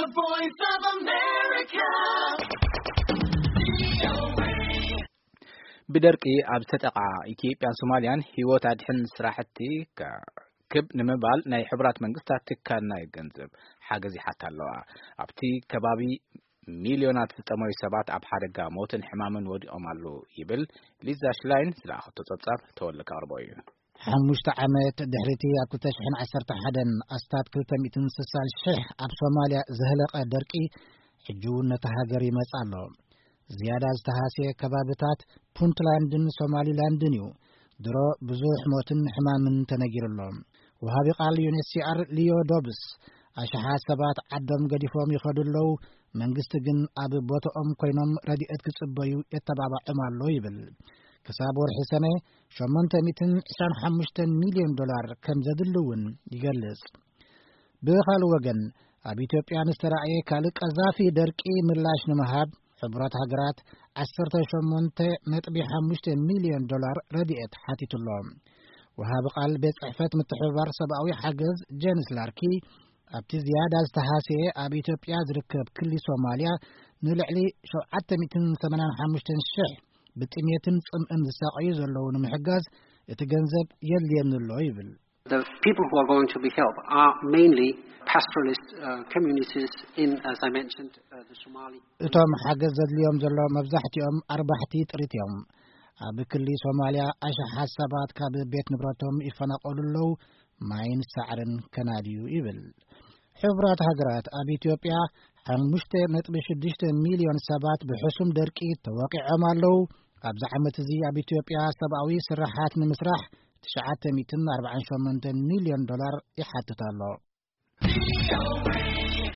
The Voice of America. ብደርቂ ኣብ ዝተጠቓ ኢትዮጵያን ሶማልያን ህይወት ኣድሕን ስራሕቲ ክብ ንምባል ናይ ሕቡራት መንግስታት ትካል ናይ ገንዘብ ሓገዝ ይሓታ ኣለዋ። ኣብቲ ከባቢ ሚልዮናት ዝጠመዩ ሰባት ኣብ ሓደጋ ሞትን ሕማምን ወዲቖም ኣለዉ ይብል። ሊዛ ሽላይን ዝለኣኸቶ ጸብጻብ ተወልደ ከቕርቦ እዩ። ሓሙሽተ ዓመት ድሕሪቲ ኣብ ክልተ ሽሕን ዓሰርተ ሓደን ኣስታት ክልተ ሚእትን ስሳን ሽሕ ኣብ ሶማልያ ዝህለቐ ደርቂ፣ ሕጂ እውን ነቲ ሃገር ይመጽእ ኣሎ። ዝያዳ ዝተሃስየ ከባብታት ፑንትላንድን ሶማሊላንድን እዩ። ድሮ ብዙሕ ሞትን ሕማምን ተነጊሩ ኣሎ። ወሃቢ ቃል ዩ ኤን ኤች ሲ ኣር ሊዮ ዶብስ፣ ኣሽሓት ሰባት ዓዶም ገዲፎም ይኸዱ ኣለዉ፣ መንግስቲ ግን ኣብ ቦታኦም ኮይኖም ረድኤት ክጽበዩ የተባባዖም ኣሎ ይብል። ክሳብ ወርሒ ሰነ ሸሞንተ ሚእትን ዕስራን ሓሙሽተን ሚልዮን ዶላር ከም ዘድሊ እውን ይገልጽ። ብኻልእ ወገን፣ ኣብ ኢትዮጵያ ንዝተራእየ ካልእ ቀዛፊ ደርቂ ምላሽ ንምሃብ፣ ሕቡራት ሃገራት ዓሰርተ ሸሞንተ ነጥቢ ሓሙሽተ ሚልዮን ዶላር ረድኤት ሓቲቱ ኣሎ። ወሃቢ ቃል ቤት ጽሕፈት ምትሕብባር ሰብኣዊ ሓገዝ ጀንስ ላርኪ፣ ኣብቲ ዝያዳ ዝተሃስየ ኣብ ኢትዮጵያ ዝርከብ ክሊ ሶማልያ ንልዕሊ ሸውዓተ ሚእትን ሰማንያን ሓሙሽተን ሽሕ ብጥሜትን ጽምእን ዝሳቐዩ ዘለዉ ንምሕጋዝ እቲ ገንዘብ የድልየኒ ኣሎ ይብል። The people who are going to be helped are mainly pastoralist uh, communities in, as I mentioned, uh, the Somali. እቶም ሓገዝ ዘድልዮም ዘሎ መብዛሕትኦም ኣርባሕቲ ጥሪት እዮም። ኣብ ክሊ ሶማልያ ኣሽሓት ሰባት ካብ ቤት ንብረቶም ይፈናቐሉ ኣለዉ፣ ማይን ሳዕርን ከናድዩ ይብል። ሕቡራት ሃገራት ኣብ ኢትዮጵያ ሓሙሽተ ነጥቢ ሽዱሽተ ሚልዮን ሰባት ብሕሱም ደርቂ ተወቂዖም ኣለዉ። ኣብዚ ዓመት እዚ ኣብ ኢትዮጵያ ሰብኣዊ ስራሓት ንምስራሕ ትሽዓተ ሚእትን ኣርባዓን ሸሞንተን ሚልዮን ዶላር ይሓትት ኣሎ።